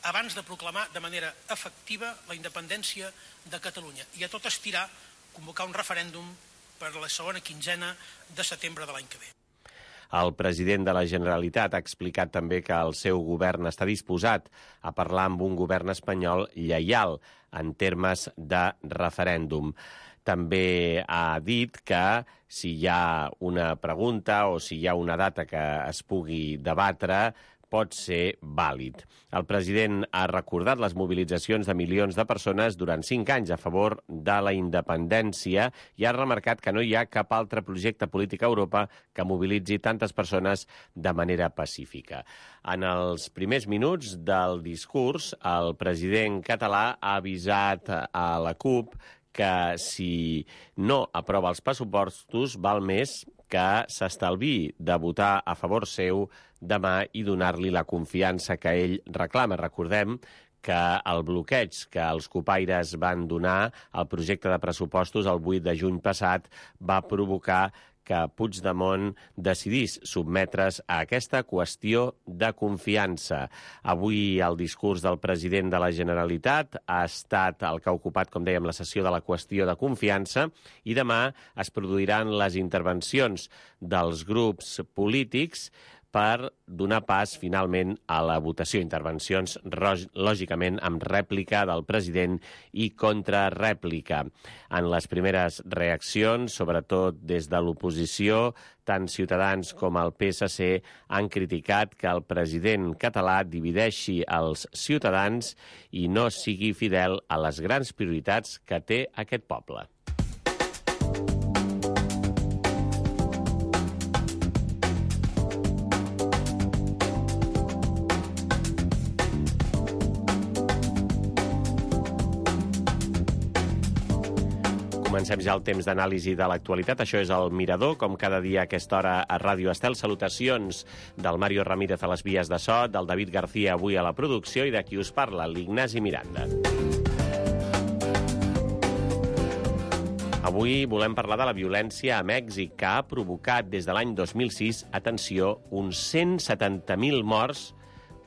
abans de proclamar de manera efectiva la independència de Catalunya i a tot estirar convocar un referèndum per a la segona quinzena de setembre de l'any que ve. El president de la Generalitat ha explicat també que el seu govern està disposat a parlar amb un govern espanyol lleial en termes de referèndum. També ha dit que si hi ha una pregunta o si hi ha una data que es pugui debatre, pot ser vàlid. El president ha recordat les mobilitzacions de milions de persones durant 5 anys a favor de la independència i ha remarcat que no hi ha cap altre projecte polític a Europa que mobilitzi tantes persones de manera pacífica. En els primers minuts del discurs, el president català ha avisat a la CUP que si no aprova els pressupostos val més que s'estalviï de votar a favor seu demà i donar-li la confiança que ell reclama. Recordem que el bloqueig que els copaires van donar al projecte de pressupostos el 8 de juny passat va provocar que Puigdemont decidís sotmetre's a aquesta qüestió de confiança. Avui el discurs del president de la Generalitat ha estat el que ha ocupat, com dèiem, la sessió de la qüestió de confiança i demà es produiran les intervencions dels grups polítics per donar pas finalment a la votació. Intervencions, lògicament, amb rèplica del president i contrarèplica. En les primeres reaccions, sobretot des de l'oposició, tant Ciutadans com el PSC han criticat que el president català divideixi els ciutadans i no sigui fidel a les grans prioritats que té aquest poble. Comencem ja el temps d'anàlisi de l'actualitat. Això és el Mirador, com cada dia a aquesta hora a Ràdio Estel. Salutacions del Mario Ramírez a les vies de so, del David García avui a la producció i de qui us parla, l'Ignasi Miranda. Avui volem parlar de la violència a Mèxic, que ha provocat des de l'any 2006, atenció, uns 170.000 morts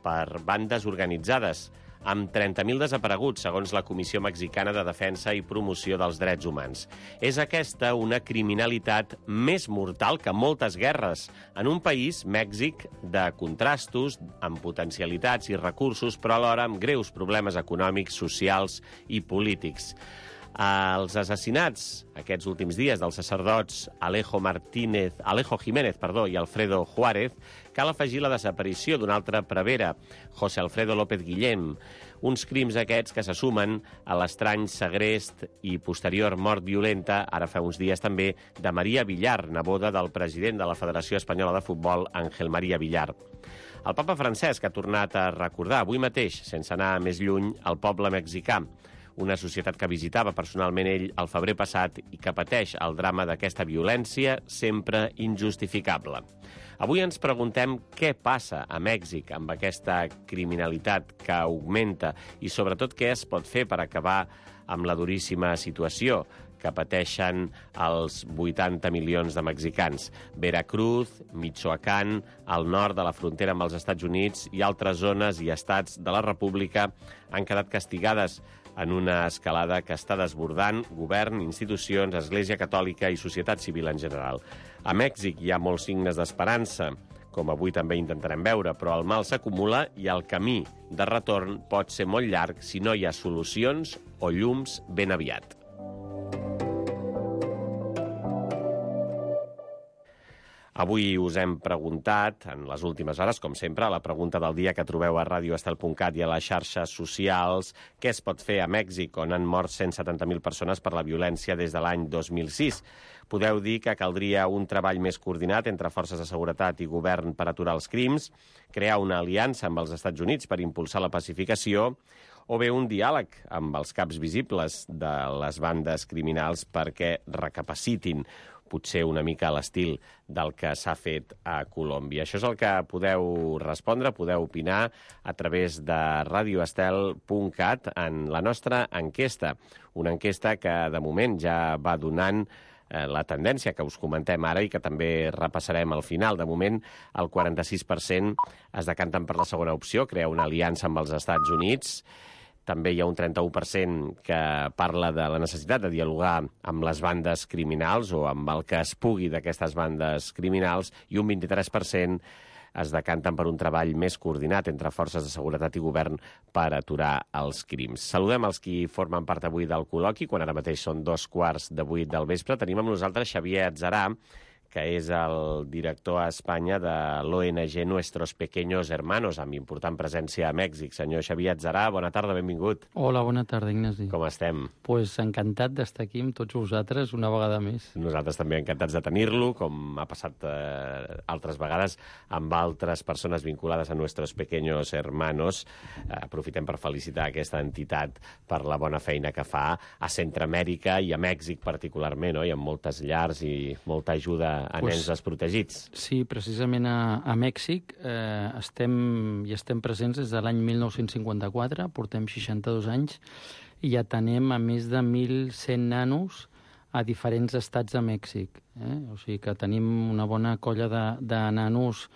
per bandes organitzades, amb 30.000 desapareguts, segons la Comissió Mexicana de Defensa i Promoció dels Drets Humans. És aquesta una criminalitat més mortal que moltes guerres, en un país, Mèxic, de contrastos, amb potencialitats i recursos, però alhora amb greus problemes econòmics, socials i polítics. Els assassinats aquests últims dies dels sacerdots Alejo Jiménez i Alfredo Juárez, cal afegir la desaparició d'un altre prevere, José Alfredo López Guillén, uns crims aquests que se sumen a l'estrany segrest i posterior mort violenta, ara fa uns dies també, de María Villar, neboda del president de la Federació Espanyola de Futbol, Ángel María Villar. El papa Francesc ha tornat a recordar avui mateix, sense anar més lluny, el poble mexicà, una societat que visitava personalment ell el febrer passat i que pateix el drama d'aquesta violència sempre injustificable. Avui ens preguntem què passa a Mèxic amb aquesta criminalitat que augmenta i sobretot què es pot fer per acabar amb la duríssima situació que pateixen els 80 milions de mexicans. Veracruz, Michoacán, al nord de la frontera amb els Estats Units i altres zones i estats de la República han quedat castigades en una escalada que està desbordant govern, institucions, Església Catòlica i societat civil en general. A Mèxic hi ha molts signes d'esperança, com avui també intentarem veure, però el mal s'acumula i el camí de retorn pot ser molt llarg si no hi ha solucions o llums ben aviat. Avui us hem preguntat, en les últimes hores, com sempre, la pregunta del dia que trobeu a radioestel.cat i a les xarxes socials, què es pot fer a Mèxic, on han mort 170.000 persones per la violència des de l'any 2006. Podeu dir que caldria un treball més coordinat entre forces de seguretat i govern per aturar els crims, crear una aliança amb els Estats Units per impulsar la pacificació, o bé un diàleg amb els caps visibles de les bandes criminals perquè recapacitin, potser una mica a l'estil del que s'ha fet a Colòmbia. Això és el que podeu respondre, podeu opinar a través de radioestel.cat en la nostra enquesta. Una enquesta que de moment ja va donant la tendència que us comentem ara i que també repassarem al final. De moment, el 46% es decanten per la segona opció, crear una aliança amb els Estats Units. També hi ha un 31% que parla de la necessitat de dialogar amb les bandes criminals o amb el que es pugui d'aquestes bandes criminals i un 23% es decanten per un treball més coordinat entre forces de seguretat i govern per aturar els crims. Saludem els qui formen part avui del col·loqui, quan ara mateix són 7:15 del vespre. Tenim amb nosaltres Xavier Atzarà, que és el director a Espanya de l'ONG Nuestros Pequeños Hermanos, amb important presència a Mèxic. Senyor Xavier Atzarà, bona tarda, benvingut. Hola, bona tarda, Ignasi. Com estem? Pues encantat d'estar aquí amb tots vosaltres una vegada més. Nosaltres també encantats de tenir-lo, com ha passat altres vegades amb altres persones vinculades a Nuestros Pequeños Hermanos. Aprofitem per felicitar aquesta entitat per la bona feina que fa a Centroamèrica i a Mèxic particularment, no? Hi ha moltes llars i molta ajuda a nens desprotegits. Sí, precisament a Mèxic estem presents des de l'any 1954, portem 62 anys, i atenem a més de 1.100 nanos a diferents estats de Mèxic. O sigui que tenim una bona colla de nanos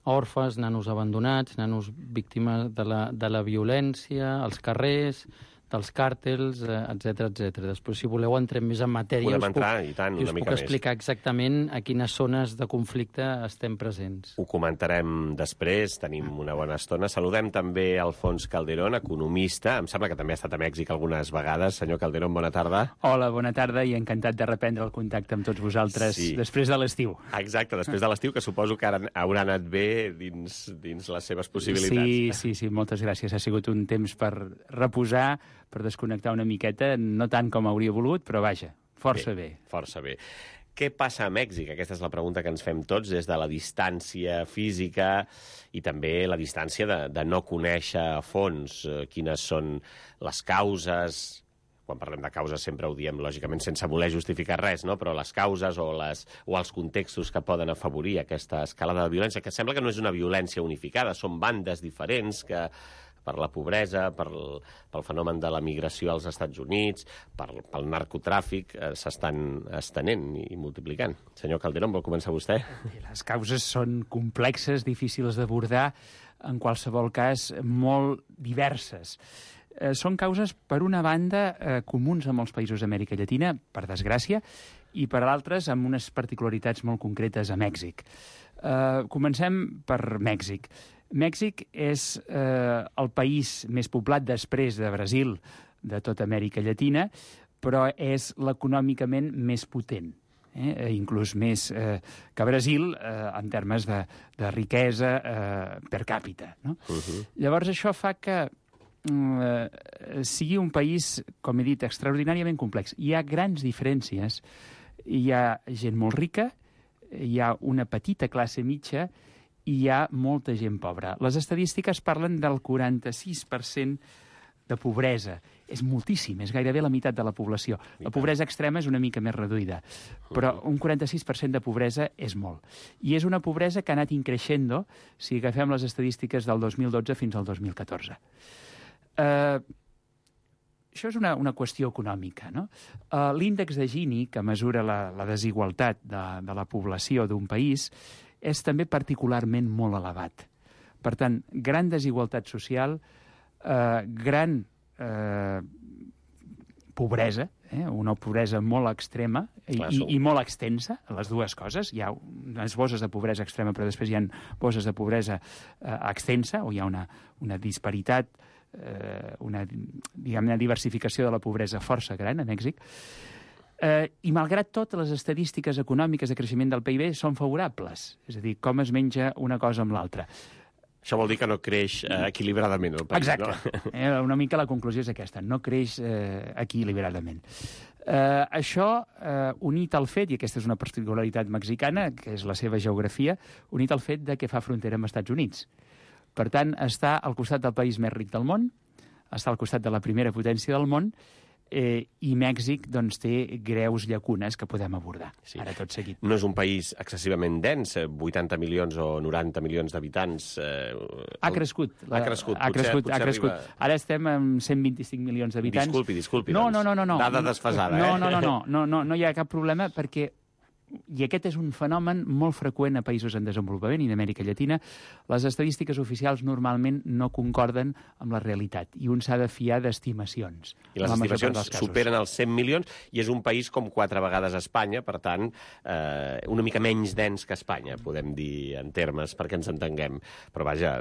òrfes, nanos abandonats, nanos víctimes de la violència, als carrers, dels càrtels, etc etc. Després, si voleu, entrem més en matèria. Podem entrar, i tant, una mica més. Us puc explicar exactament a quines zones de conflicte estem presents. Ho comentarem després, tenim una bona estona. Saludem també Alfons Calderón, economista. Em sembla que també ha estat a Mèxic algunes vegades. Senyor Calderón, bona tarda. Hola, bona tarda, i encantat de reprendre el contacte amb tots vosaltres després de l'estiu. Exacte, després de l'estiu, que suposo que haurà anat bé dins les seves possibilitats. Sí, moltes gràcies. Ha sigut un temps per reposar, per desconnectar una miqueta, no tant com hauria volut, però vaja, força bé. Força bé. Què passa a Mèxic? Aquesta és la pregunta que ens fem tots des de la distància física i també la distància de no conèixer a fons quines són les causes. Quan parlem de causes sempre ho diem, lògicament, sense voler justificar res, no? Però les causes o els contextos que poden afavorir aquesta escalada de violència, que sembla que no és una violència unificada, són bandes diferents que per la pobresa, pel fenomen de la migració als Estats Units, pel narcotràfic, s'estan estenent i multiplicant. Senyor Calderón, vol començar vostè? Les causes són complexes, difícils d'abordar, en qualsevol cas molt diverses. Són causes, per una banda, comuns a molts països d'Amèrica Llatina, per desgràcia, i per altres amb unes particularitats molt concretes a Mèxic. Comencem per Mèxic. Mèxic és el país més poblat després de Brasil de tota Amèrica Llatina, però és l'econòmicament més potent, inclús més que Brasil en termes de riquesa per càpita. No? Llavors això fa que sigui un país, com he dit, extraordinàriament complex. Hi ha grans diferències. Hi ha gent molt rica, hi ha una petita classe mitja i hi ha molta gent pobra. Les estadístiques parlen del 46% de pobresa. És moltíssim, és gairebé la meitat de la població. La pobresa extrema és una mica més reduïda, però un 46% de pobresa és molt. I és una pobresa que ha anat increixent si agafem les estadístiques del 2012 fins al 2014. Això és una qüestió econòmica, no? L'índex de Gini, que mesura la desigualtat de la població d'un país, és també particularment molt elevat. Per tant, gran desigualtat social, gran pobresa, una pobresa molt extrema i molt extensa, les dues coses. Hi ha unes bosses de pobresa extrema, però després hi ha bosses de pobresa extensa, o hi ha una disparitat, una diversificació de la pobresa força gran a Mèxic. I malgrat tot, les estadístiques econòmiques de creixement del PIB són favorables. És a dir, com es menja una cosa amb l'altra. Això vol dir que no creix equilibradament el país, exacte. No? Una mica la conclusió és aquesta, no creix equilibradament. Això, unit al fet, i aquesta és una particularitat mexicana, que és la seva geografia, unit al fet de que fa frontera amb els Estats Units. Per tant, està al costat del país més ric del món, està al costat de la primera potència del món, i Mèxic doncs, té greus llacunes que podem abordar, ara tot seguit. No és un país excessivament dens, 80 milions o 90 milions d'habitants. Ha crescut. Ha crescut. Ara estem amb 125 milions d'habitants. Disculpi. No. Dada desfasada, No hi ha cap problema, perquè i aquest és un fenomen molt freqüent a països en desenvolupament i d'Amèrica Llatina. Les estadístiques oficials normalment no concorden amb la realitat i un s'ha de fiar d'estimacions. I les estimacions superen els 100 milions i és un país com 4 vegades Espanya, per tant, una mica menys dens que Espanya, podem dir en termes, perquè ens entenguem. Però vaja,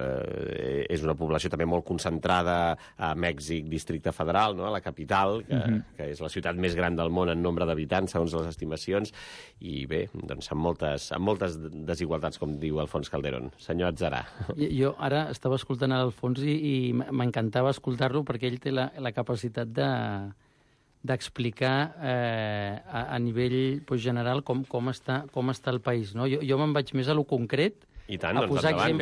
és una població també molt concentrada a Mèxic, Districte Federal, no? A la capital, que és la ciutat més gran del món en nombre d'habitants, segons les estimacions, i bé, doncs amb moltes desigualtats, com diu Alfons Calderón. Senyor Atzarà. Jo ara estava escoltant l'Alfons i m'encantava escoltar-lo perquè ell té la capacitat d'explicar a nivell general com està el país. No? Jo me'n vaig més a lo concret, I tant, doncs endavant.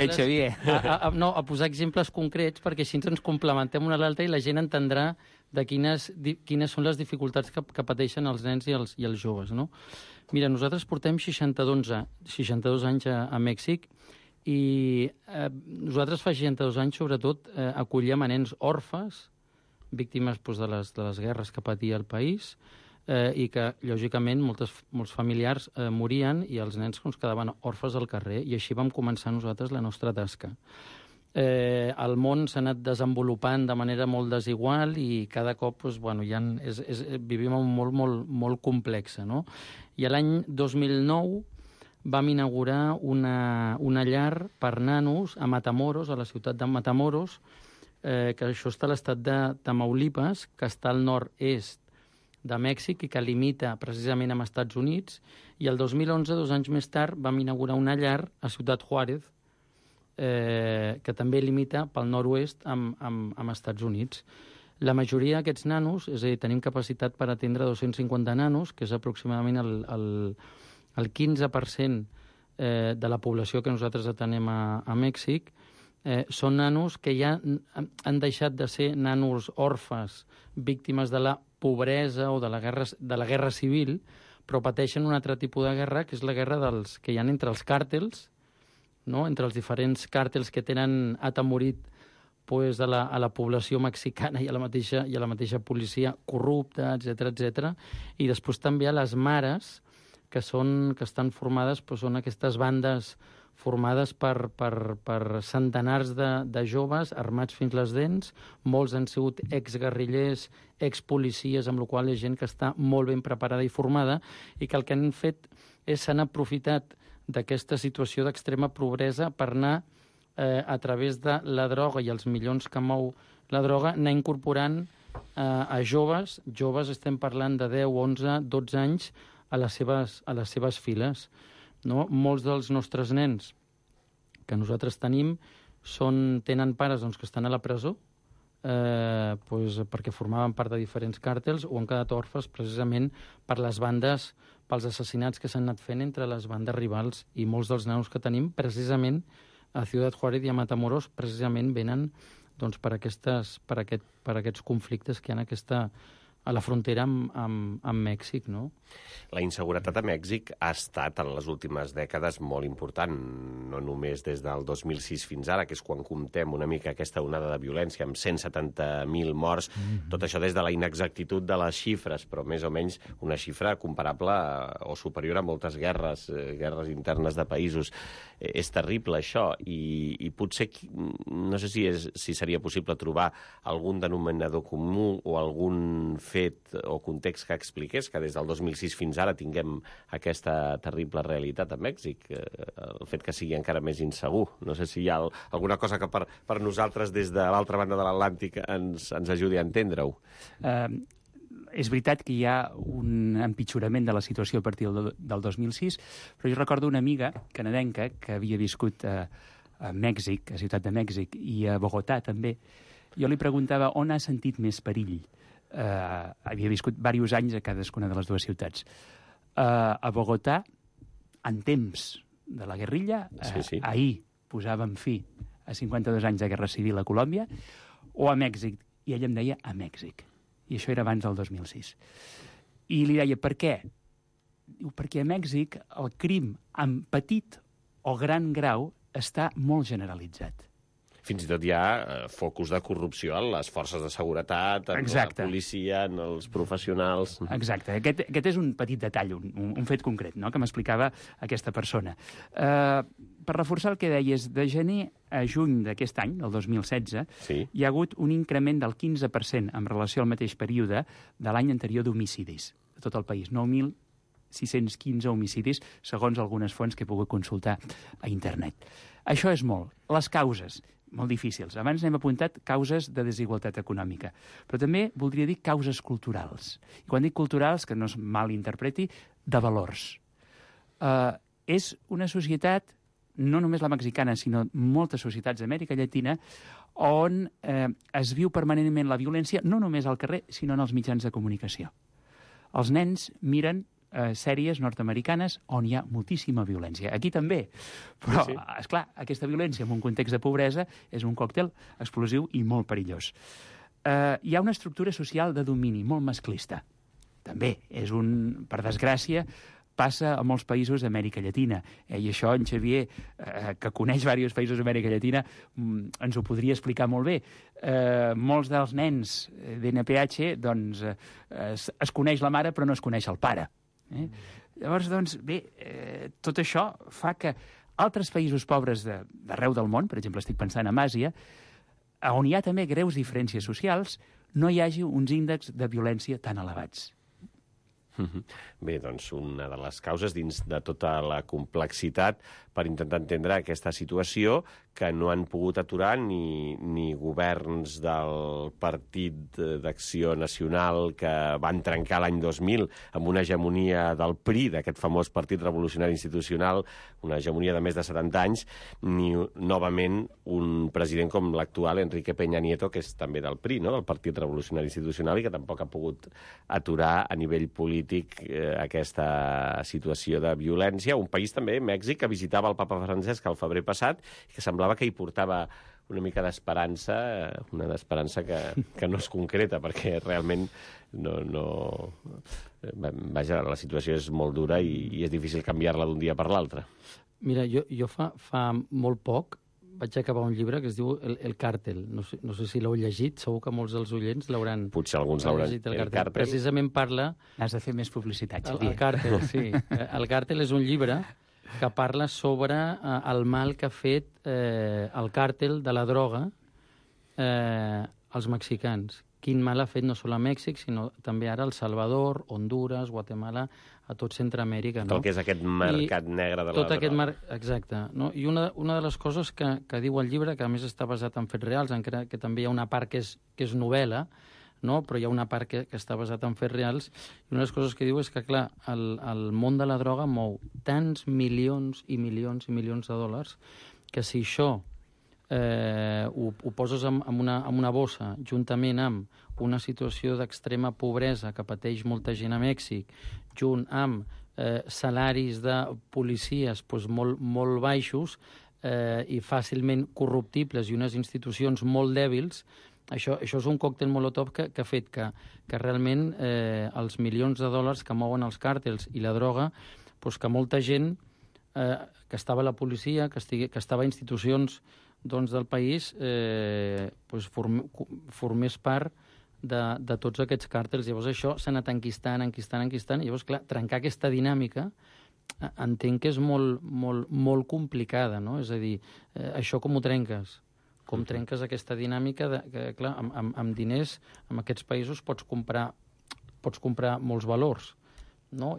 a posar exemples concrets perquè així ens complementem una a l'altra i la gent entendrà de quines són les dificultats que pateixen els nens i els joves. No? Mira, nosaltres portem 62 anys a Mèxic i nosaltres fa 62 anys, sobretot, acollíem a nens orfes, víctimes de les guerres que patia el país, i que, lògicament, molts familiars morien i els nens quedaven orfes al carrer, i així vam començar nosaltres la nostra tasca. El món s'ha anat desenvolupant de manera molt desigual i cada cop vivim en un món molt complex. No? I l'any 2009 vam inaugurar una llar per nanos a Matamoros, a la ciutat de Matamoros, que això està a l'estat de Tamaulipas, que està al nord-est de Mèxic i que limita precisament amb Estats Units. I el 2011, 2 anys més tard, vam inaugurar una llar a Ciutat Juárez, que també limita pel nord-oest amb Estats Units. La majoria d'aquests nanos, és a dir, tenim capacitat per atendre 250 nanos, que és aproximadament el 15% de la població que nosaltres atenem a Mèxic. Són nanos que ja han deixat de ser nanos orfes, víctimes de la pobresa o de la guerra civil, però pateixen un altre tipus de guerra, que és la guerra que hi ha entre els càrtels, no? Entre els diferents càrtels que tenen atemorit a la població mexicana i a la mateixa policia corrupta, etc. I després també a les mares, que estan formades, són aquestes bandes formades per centenars de joves armats fins les dents. Molts han sigut exguerrillers, expolicies, amb la qual cosa és gent que està molt ben preparada i formada, i que el que han fet és s'han aprofitat d'aquesta situació d'extrema pobresa per anar, a través de la droga i els milions que mou la droga, anar incorporant a joves, estem parlant de 10, 11, 12 anys, a les seves files. No? Molts dels nostres nens que nosaltres tenim tenen pares que estan a la presó perquè formaven part de diferents càrtels o han quedat orfes precisament per les bandes, pels assassinats que s'han anat fent entre les bandes rivals, i molts dels nanos que tenim precisament a Ciutat Juárez i a Matamoros precisament venen per aquests conflictes que hi ha a la frontera amb Mèxic. No? La inseguretat a Mèxic ha estat en les últimes dècades molt important, no només des del 2006 fins ara, que és quan comptem una mica aquesta onada de violència amb 170.000 morts, tot això des de la inexactitud de les xifres, però més o menys una xifra comparable o superior a moltes guerres internes de països. És terrible això, i potser no sé si seria possible trobar algun denominador comú o algun fet o context que expliqués que des del 2006 fins ara tinguem aquesta terrible realitat a Mèxic, el fet que sigui encara més insegur. No sé si hi ha alguna cosa que per nosaltres des de l'altra banda de l'Atlàntic ens ajudi a entendre-ho. És veritat que hi ha un empitjorament de la situació a partir del 2006, però jo recordo una amiga canadenca que havia viscut a Mèxic, a Ciutat de Mèxic, i a Bogotà també. Jo li preguntava on ha sentit més perill. Havia viscut diversos anys a cadascuna de les dues ciutats. A Bogotà, en temps de la guerrilla, ahir posàvem fi a 52 anys de guerra civil a Colòmbia, o a Mèxic, i ella em deia a Mèxic. I això era abans del 2006. I li deia, per què? Diu, perquè a Mèxic el crim en petit o gran grau està molt generalitzat. Fins i tot hi ha focus de corrupció en les forces de seguretat, en la policia, en els professionals... Exacte. Aquest és un petit detall, un fet concret, no?, que m'explicava aquesta persona. Per reforçar el que deies, de gener a juny d'aquest any, el 2016, hi ha hagut un increment del 15% en relació al mateix període de l'any anterior d'homicidis de tot el país. 9.615 homicidis, segons algunes fonts que he pogut consultar a internet. Això és molt. Les causes, molt difícils. Abans n'hem apuntat causes de desigualtat econòmica, però també voldria dir causes culturals. I quan dic culturals, que no es malinterpreti, de valors. És una societat, no només la mexicana, sinó moltes societats d'Amèrica Llatina, on es viu permanentment la violència, no només al carrer, sinó en els mitjans de comunicació. Els nens miren sèries nord-americanes on hi ha moltíssima violència. Aquí també. Però, esclar, aquesta violència en un context de pobresa és un còctel explosiu i molt perillós. Hi ha una estructura social de domini molt masclista. També és per desgràcia, passa a molts països d'Amèrica Llatina. I això en Xavier, que coneix diversos països d'Amèrica Llatina, ens ho podria explicar molt bé. Molts dels nens d'NPH, doncs, es coneix la mare però no es coneix el pare. Llavors, doncs, bé, tot això fa que altres països pobres d'arreu del món, per exemple, estic pensant en Àsia, on hi ha també greus diferències socials, no hi hagi uns índexs de violència tan elevats. Bé, doncs una de les causes dins de tota la complexitat per intentar entendre aquesta situació que no han pogut aturar ni governs del Partit d'Acció Nacional que van trencar l'any 2000 amb una hegemonia del PRI, d'aquest famós Partit Revolucionari Institucional, una hegemonia de més de 70 anys, ni novament un president com l'actual Enrique Peña Nieto, que és també del PRI, no?, del Partit Revolucionari Institucional, i que tampoc ha pogut aturar a nivell polític aquesta situació de violència. Un país també, Mèxic, que visitava el papa Francesc el febrer passat i que semblava que hi portava una mica d'esperança, una d'esperança que no és concreta, perquè realment vaja, la situació és molt dura i és difícil canviar-la d'un dia per l'altre. Mira, jo fa molt poc vaig acabar un llibre que es diu El Càrtel. No sé si l'heu llegit, segur que molts dels oients l'hauran... Potser alguns l'hauran llegit, El Càrtel. Precisament parla... Has de fer més publicitat, Xavier. El Càrtel, sí. El Càrtel és un llibre que parla sobre el mal que ha fet el càrtel de la droga als mexicans. Quin mal ha fet no sols a Mèxic, sinó també ara a El Salvador, Hondures, Guatemala, a tot Centroamèrica. Tot el que és aquest mercat negre de la droga. Exacte. No? I una de les coses que diu el llibre, que a més està basat en fets reals, encara que també hi ha una part que és novel·la, no? Però hi ha una part que està basat en fets reals, i una de les coses que diu és que, clar, el món de la droga mou tants milions i milions i milions de dòlars que si això ho poses en una bossa juntament amb una situació d'extrema pobresa que pateix molta gent a Mèxic, junt amb salaris de policies molt baixos i fàcilment corruptibles i unes institucions molt dèbils, això és un còctel molotov que ha fet que realment els milions de dòlars que mouen els càrtels i la droga, que molta gent que estava a la policia, que estava a institucions del país, formés part de tots aquests càrtels. Llavors això s'ha anat enquistant. Llavors, clar, trencar aquesta dinàmica entenc que és molt complicada, no? És a dir, això com ho trenques? Com trenques aquesta dinàmica que, clar, amb diners, en aquests països pots comprar molts valors, no?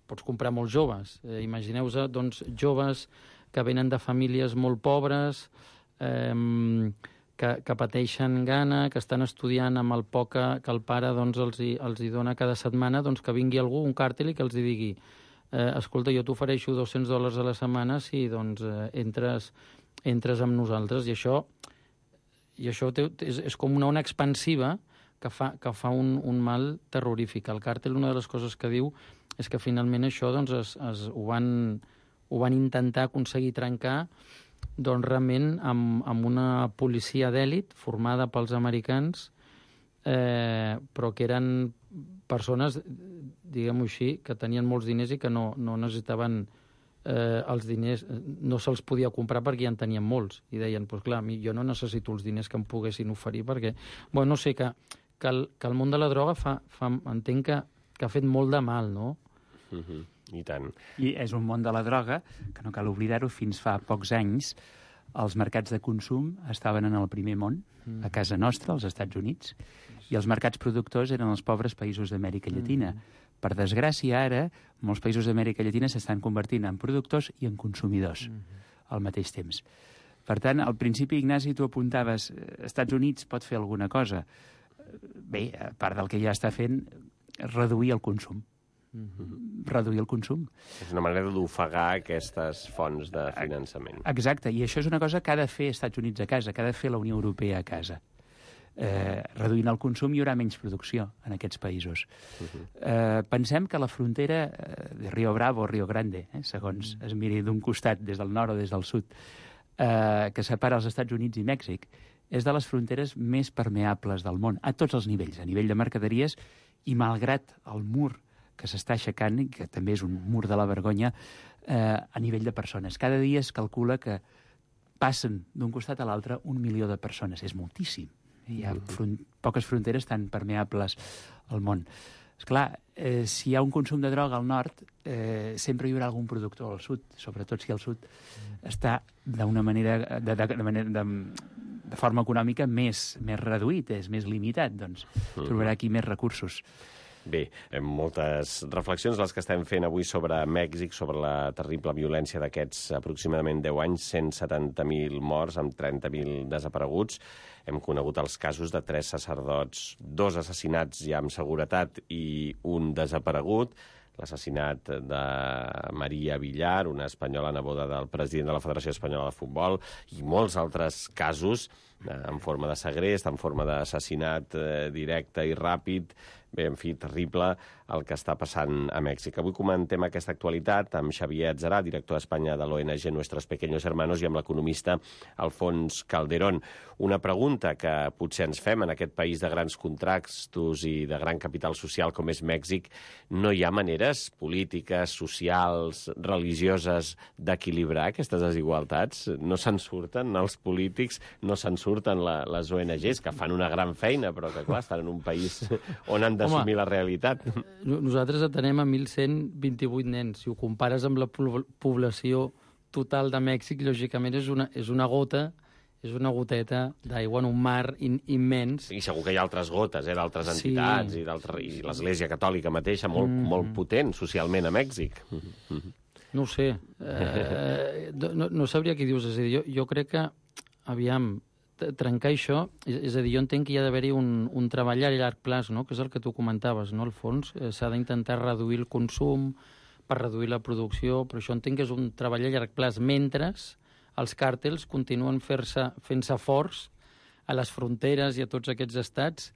Pots comprar molts joves. Imagineu-vos, doncs, joves que venen de famílies molt pobres, que pateixen gana, que estan estudiant amb el poc que el pare doncs, els hi dona cada setmana, doncs que vingui algú, un càrtel, i que els digui escolta, jo t'ofereixo $200 a la setmana si doncs, entres amb nosaltres. I això és com una ona expansiva que fa un mal terrorífic. El càrtel, una de les coses que diu és que finalment això doncs, ho van intentar aconseguir trencar doncs, realment amb una policia d'èlit formada pels americans però que eren persones, diguem-ho així, que tenien molts diners i que no necessitaven els diners, no se'ls podia comprar perquè ja en tenien molts. I deien, doncs clar, jo no necessito els diners que em poguessin oferir perquè... Bueno, no sé, que el món de la droga entenc que ha fet molt de mal, no? I tant. I és un món de la droga que no cal oblidar-ho, fins fa pocs anys els mercats de consum estaven en el primer món, a casa nostra, als Estats Units, i els mercats productors eren els pobres països d'Amèrica Llatina. Per desgràcia, ara, molts països d'Amèrica Llatina s'estan convertint en productors i en consumidors al mateix temps. Per tant, al principi, Ignasi, tu apuntaves Estats Units pot fer alguna cosa. Bé, a part del que ja està fent, reduir el consum. Reduir el consum. És una manera d'ofegar aquestes fonts de finançament. Exacte, i això és una cosa que ha de fer Estats Units a casa, que ha de fer la Unió Europea a casa. Reduint el consum hi haurà menys producció en aquests països. Pensem que la frontera de Rio Bravo o Rio Grande, segons es miri d'un costat, des del nord o des del sud, que separa els Estats Units i Mèxic, és de les fronteres més permeables del món, a tots els nivells, a nivell de mercaderies, i malgrat el mur que s'està aixecant, i que també és un mur de la vergonya, a nivell de persones. Cada dia es calcula que passen d'un costat a l'altre 1 milió de persones. És moltíssim. Hi ha poques fronteres tan permeables al món. Esclar, si hi ha un consum de droga al nord, sempre hi haurà algun productor al sud, sobretot si al sud està d'una manera, de forma econòmica més reduït, és més limitat, doncs trobarà aquí més recursos. Bé, moltes reflexions les que estem fent avui sobre Mèxic, sobre la terrible violència d'aquests aproximadament 10 anys, 170.000 morts amb 30.000 desapareguts. Hem conegut els casos de 3 sacerdots, 2 assassinats ja amb seguretat i un desaparegut, l'assassinat de Maria Villar, una espanyola neboda del president de la Federació Espanyola de Futbol, i molts altres casos en forma de segrest, en forma d'assassinat directe i ràpid. Bé, en fi, terrible el que està passant a Mèxic. Avui comentem aquesta actualitat amb Xavier Atzarà, director d'Espanya de l'ONG Nuestros Pequeños Hermanos, i amb l'economista Alfons Calderón. Una pregunta que potser ens fem en aquest país de grans contrastos i de gran capital social com és Mèxic: no hi ha maneres polítiques, socials, religioses d'equilibrar aquestes desigualtats? No se'n surten els polítics, no se'n surten les ONGs, que fan una gran feina, però que, clar, estan en un país on han d'assumir la realitat. Nosaltres atenem a 1.128 nens. Si ho compares amb la població total de Mèxic, lògicament és una gota, és una goteta d'aigua en un mar immens. I segur que hi ha altres gotes, d'altres entitats, i l'Església Catòlica mateixa, molt potent socialment a Mèxic. No ho sé. No sabria què dius. És a dir, jo crec que, aviam, trencar això, és a dir, jo entenc que hi ha d'haver-hi un treball a llarg plaç, no? Que és el que tu comentaves, no? Al fons s'ha d'intentar reduir el consum per reduir la producció, però això entenc que és un treball a llarg plaç, mentre els càrtels continuen fent-se forts a les fronteres i a tots aquests estats.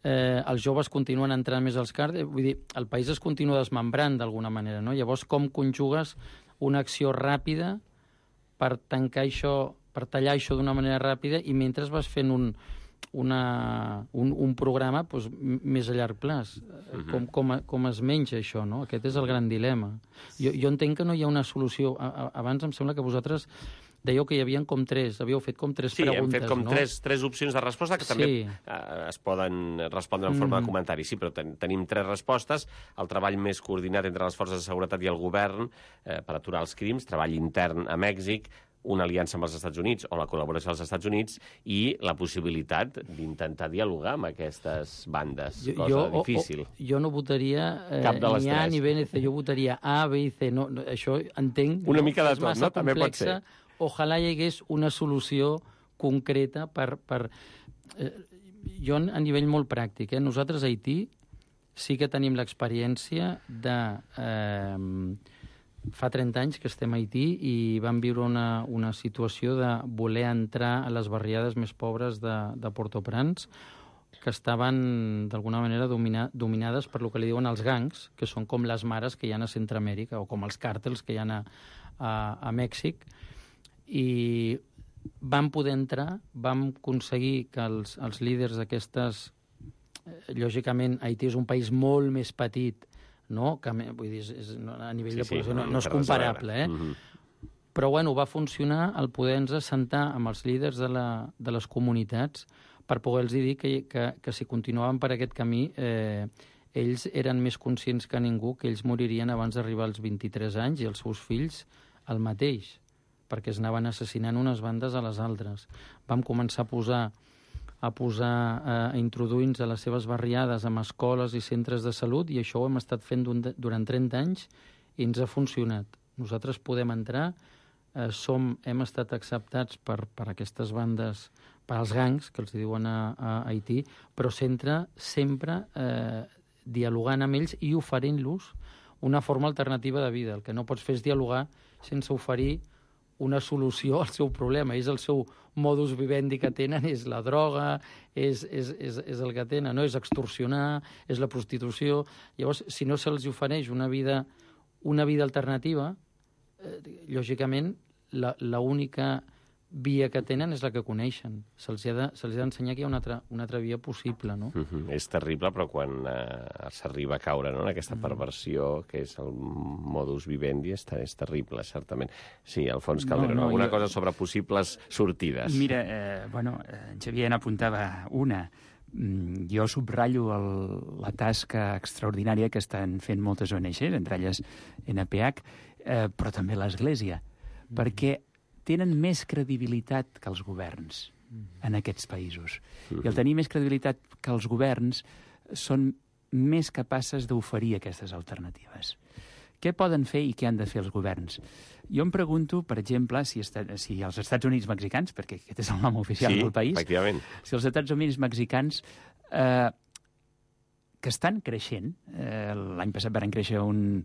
Els joves continuen entrant més als càrtels, vull dir, el país es continua desmembrant d'alguna manera, no? Llavors, com conjugues una acció ràpida per tancar això, per tallar això d'una manera ràpida, i mentre vas fent un programa doncs, més a llarg plaç. Com es menja això, no? Aquest és el gran dilema. Jo entenc que no hi ha una solució. Abans em sembla que vosaltres dèieu que hi havia com 3, havíeu fet com 3 preguntes, no? Sí, hem fet com 3 opcions de resposta que també es poden respondre en forma de comentari. Sí, però tenim 3 respostes. El treball més coordinat entre les forces de seguretat i el govern per aturar els crims, treball intern a Mèxic, una aliança amb els Estats Units o la col·laboració dels Estats Units i la possibilitat d'intentar dialogar amb aquestes bandes, cosa difícil. Jo no votaria ni A ni B ni C, jo votaria A, B i C. No, això entenc... Una mica de tot, no? També pot ser. Ojalà hi hagués una solució concreta per... Jo, a nivell molt pràctic, nosaltres a Haití sí que tenim l'experiència de... Fa 30 anys que estem a Haití i vam viure una situació de voler entrar a les barriades més pobres de Port-au-Prince, que estaven d'alguna manera dominades per lo que li diuen els gangs, que són com les mares que hi ha a Centroamèrica o com els càrtels que hi ha a Mèxic. I vam poder entrar, vam aconseguir que els líders d'aquestes lògicament, Haití és un país molt més petit, no? Que, vull dir, a nivell de població no és comparable, Però, bueno, va funcionar el poder-nos assentar amb els líders de les comunitats per poder-los dir que si continuaven per aquest camí, ells eren més conscients que ningú que ells moririen abans d'arribar als 23 anys i els seus fills el mateix, perquè es anaven assassinant unes bandes a les altres. Vam començar a introduir-nos a les seves barriades amb escoles i centres de salut, i això ho hem estat fent durant 30 anys i ens ha funcionat. Nosaltres podem entrar, hem estat acceptats per aquestes bandes, per als gangs, que els diuen a Haití, però sempre dialogant amb ells i oferint-los una forma alternativa de vida. El que no pots fer és dialogar sense oferir una solució al seu problema. És el seu modus vivendi que tenen, és la droga, és el que tenen, no? És extorsionar, és la prostitució. Llavors, si no se'ls ofereix una vida alternativa, lògicament, l'única via que tenen és la que coneixen. Se'ls ha d'ensenyar que hi ha una altra via possible, no? És terrible, però quan s'arriba a caure en aquesta perversió, que és el modus vivendi, és terrible, certament. Sí, Alfons Calderón, alguna cosa sobre possibles sortides? Mira, en Xavier n'apuntava una. Jo subratllo la tasca extraordinària que estan fent moltes ONGs, entre elles NPH, però també l'Església, perquè tenen més credibilitat que els governs en aquests països. I al tenir més credibilitat que els governs, són més capaces d'oferir aquestes alternatives. Què poden fer i què han de fer els governs? Jo em pregunto, per exemple, si els Estats Units mexicans, perquè aquest és el nom oficial del país, efectivament, si els Estats Units mexicans, que estan creixent, l'any passat van créixer un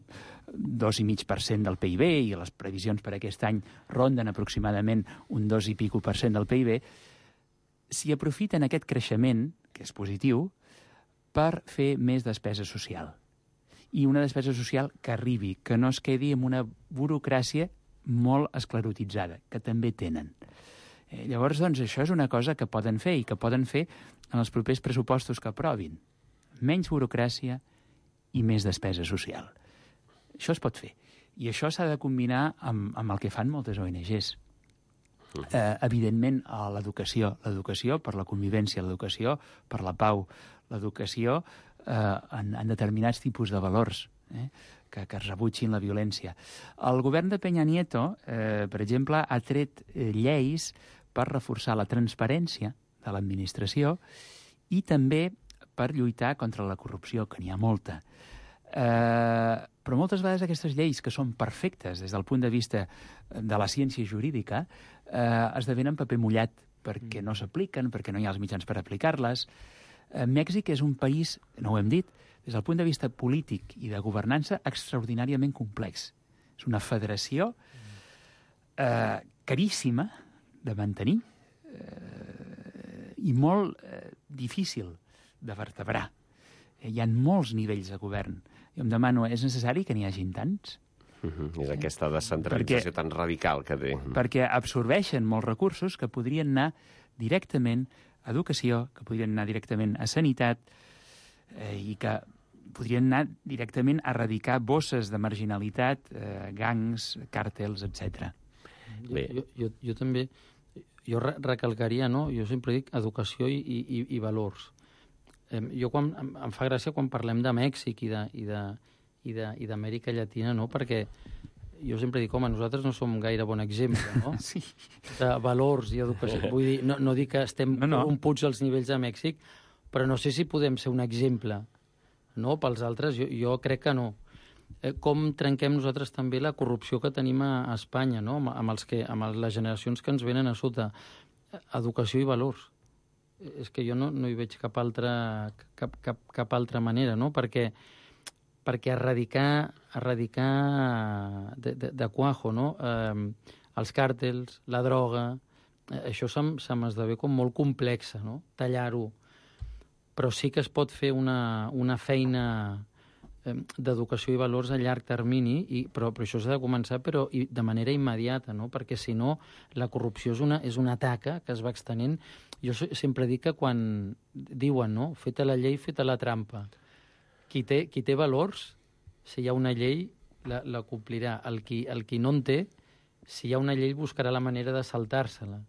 2,5% del PIB i les previsions per aquest any ronden aproximadament un 2,5% del PIB, si aprofiten aquest creixement, que és positiu, per fer més despesa social. I una despesa social que arribi, que no es quedi amb una burocràcia molt esclerotitzada, que també tenen. Llavors, doncs, això és una cosa que poden fer i que poden fer en els propers pressupostos que aprovin. Menys burocràcia i més despesa social. Això es pot fer. I això s'ha de combinar amb el que fan moltes ONGs. Evidentment, l'educació per la convivència, l'educació per la pau, l'educació en determinats tipus de valors que es rebutgin la violència. El govern de Peña Nieto, per exemple, ha tret lleis per reforçar la transparència de l'administració i també per lluitar contra la corrupció, que n'hi ha molta. Però moltes vegades aquestes lleis, que són perfectes des del punt de vista de la ciència jurídica, esdevenen paper mullat perquè no s'apliquen, perquè no hi ha els mitjans per aplicar-les. Mèxic és un país, no ho hem dit, des del punt de vista polític i de governança, extraordinàriament complex. És una federació caríssima de mantenir i molt difícil de vertebrar. Hi ha molts nivells de govern. Jo em demano, és necessari que n'hi hagin tants? És aquesta descentralització tan radical que té. Perquè absorbeixen molts recursos que podrien anar directament a educació, que podrien anar directament a sanitat i que podrien anar directament a erradicar bosses de marginalitat, gangs, càrtels, etc. Jo també recalcaria, no? Jo sempre dic educació i valors. Em fa gràcia quan parlem de Mèxic i d'Amèrica Llatina, no? Perquè jo sempre dic, home, nosaltres no som gaire bon exemple, no? Sí. De valors i educació. Vull dir, no dic que estem corromputs als nivells de Mèxic, però no sé si podem ser un exemple, no?, pels altres. Jo crec que no. Com trenquem nosaltres també la corrupció que tenim a Espanya, no?, amb les generacions que ens venen a sota. Educació i valors. És que jo no hi veig cap altra manera, no? Perquè erradicar de cuajo, no? Els càrtels, la droga, això se m'esdevé com molt complexa, no? Tallar-ho. Però sí que es pot fer una feina d'educació i valors a llarg termini, però això s'ha de començar de manera immediata, no? Perquè si no, la corrupció és una taca que es va extenent. Jo sempre dic que quan diuen, no?, feta la llei, feta la trampa. Qui té valors, si hi ha una llei, la complirà. El qui no en té, si hi ha una llei, buscarà la manera de saltar-se-la.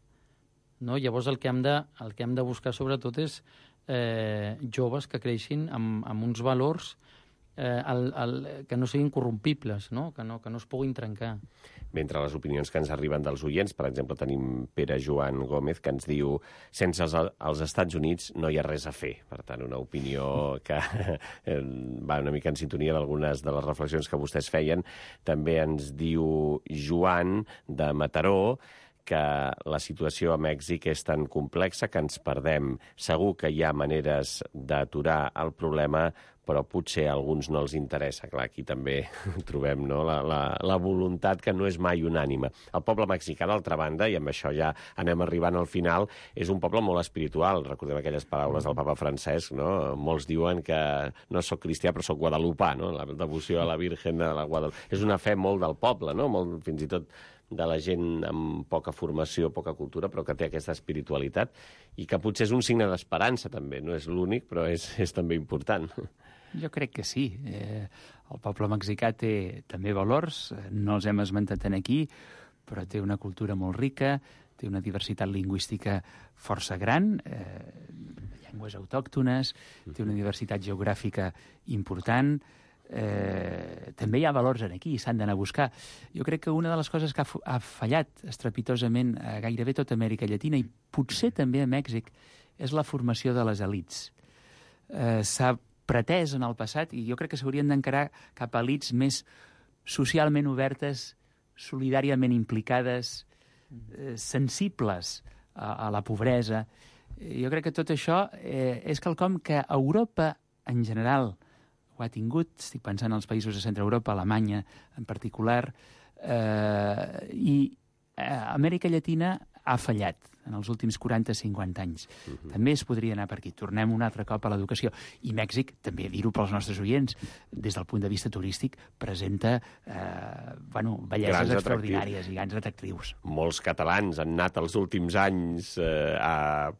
No? Llavors el que hem de buscar sobretot és joves que creixin amb uns valors que no siguin corrompibles, no? Que no es puguin trencar. Mentre les opinions que ens arriben dels oients, per exemple, tenim Pere Joan Gómez, que ens diu sense els Estats Units no hi ha res a fer. Per tant, una opinió que va una mica en sintonia d'algunes de les reflexions que vostès feien. També ens diu Joan, de Mataró, que la situació a Mèxic és tan complexa que ens perdem. Segur que hi ha maneres d'aturar el problema, però potser a alguns no els interessa. Clar, aquí també trobem, no?, la voluntat que no és mai unànime. El poble mexicà, d'altra banda, i amb això ja anem arribant al final, és un poble molt espiritual. Recordem aquelles paraules del papa Francesc, no? Molts diuen que no soc cristià, però soc guadalupà, no? La devoció a la Virgen de la Guadalupe. És una fe molt del poble, no? Molt, fins i tot de la gent amb poca formació, poca cultura, però que té aquesta espiritualitat i que potser és un signe d'esperança, també. No és l'únic, però és també important. Jo crec que sí. El poble mexicà té també valors, no els hem esmentat aquí, però té una cultura molt rica, té una diversitat lingüística força gran, llengües autòctones, té una diversitat geogràfica important. També hi ha valors aquí, s'han d'anar a buscar. Jo crec que una de les coses que ha fallat estrepitosament a gairebé tota Amèrica Llatina, i potser també a Mèxic, és la formació de les elits. S'ha pretès en el passat, i jo crec que s'haurien d'encarar cap a elits més socialment obertes, solidàriament implicades, sensibles a la pobresa. Jo crec que tot això és quelcom que Europa en general ho ha tingut, estic pensant en els països de Centre Europa, Alemanya en particular, i Amèrica Llatina ha fallat en els últims 40-50 anys. També es podria anar per aquí. Tornem un altre cop a l'educació. I Mèxic, també dir-ho pels nostres oients, des del punt de vista turístic, presenta belleses extraordinàries i grans atractius. Molts catalans han anat els últims anys al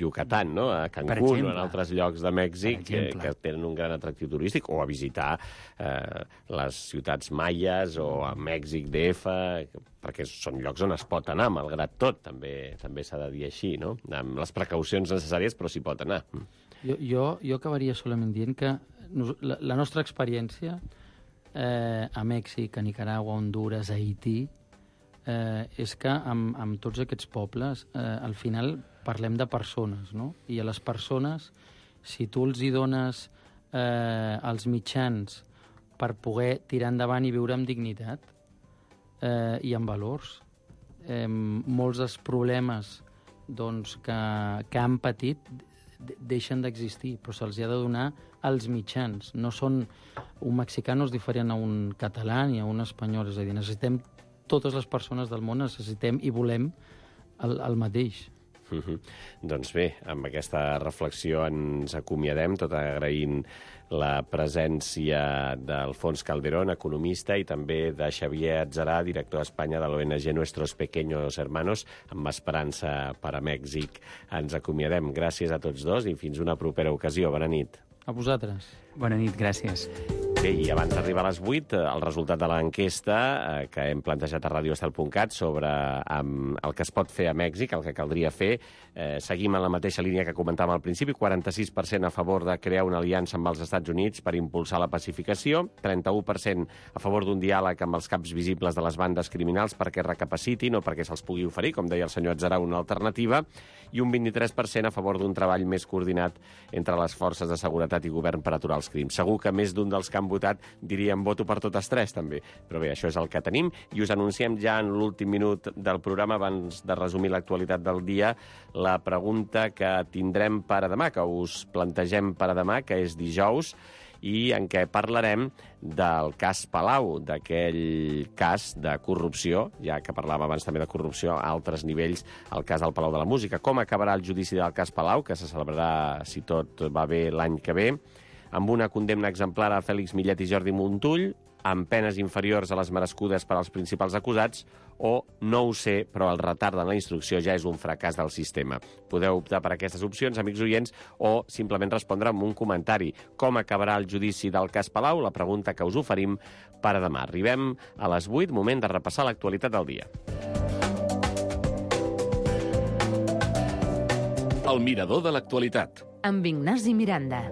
Yucatán, no? A Cancún o en altres llocs de Mèxic que tenen un gran atractiu turístic, o a visitar les ciutats maies o a Mèxic DF, perquè són llocs on es pot anar, malgrat tot, també s'ha de dir així, no? Amb les precaucions necessàries, però s'hi pot anar. Jo acabaria solament dient que la nostra experiència a Mèxic, a Nicaragua, a Honduras, a Haití, és que amb tots aquests pobles, al final parlem de persones, no? I a les persones, si tu els hi dones els mitjans per poder tirar endavant i viure amb dignitat, i amb valors, molts dels problemes que han patit deixen d'existir, però se'ls ha de donar els mitjans. No són... Un mexicà no és diferent a un català ni a un espanyol, és a dir, necessitem totes les persones del món, necessitem i volem el mateix. Doncs bé, amb aquesta reflexió ens acomiadem, tot agraint la presència d'Alfons Calderón, economista, i també de Xavier Atzarà, director a Espanya de l'ONG Nuestros Pequeños Hermanos, amb esperança per a Mèxic. Ens acomiadem. Gràcies a tots dos i fins una propera ocasió. Bona nit. A vosaltres. Bona nit, gràcies. Bé, i abans d'arribar a les 8, el resultat de l'enquesta que hem plantejat a radioestel.cat sobre el que es pot fer a Mèxic, el que caldria fer, seguim en la mateixa línia que comentàvem al principi, 46% a favor de crear una aliança amb els Estats Units per impulsar la pacificació, 31% a favor d'un diàleg amb els caps visibles de les bandes criminals perquè recapacitin o perquè se'ls pugui oferir, com deia el senyor Atzarà, una alternativa, i un 23% a favor d'un treball més coordinat entre les forces de seguretat i govern per aturar els crims. Segur que més d'un dels que han votat diríem voto per totes tres, també. Però bé, això és el que tenim, i us anunciem ja en l'últim minut del programa, abans de resumir l'actualitat del dia, la pregunta que tindrem per a demà, que us plantegem per a demà, que és dijous, i en què parlarem del cas Palau, d'aquell cas de corrupció, ja que parlàvem abans també de corrupció a altres nivells, el cas del Palau de la Música. Com acabarà el judici del cas Palau, que se celebrarà, si tot va bé, l'any que ve. amb una condemna exemplar a Fèlix Millet i Jordi Montull, amb penes inferiors a les merescudes per als principals acusats, o no ho sé, però el retard en la instrucció ja és un fracàs del sistema. Podeu optar per aquestes opcions, amics oients, o simplement respondre amb un comentari. Com acabarà el judici del cas Palau? La pregunta que us oferim per a demà. Arribem a les 8, moment de repassar l'actualitat del dia. El mirador de l'actualitat. Amb Ignasi Miranda.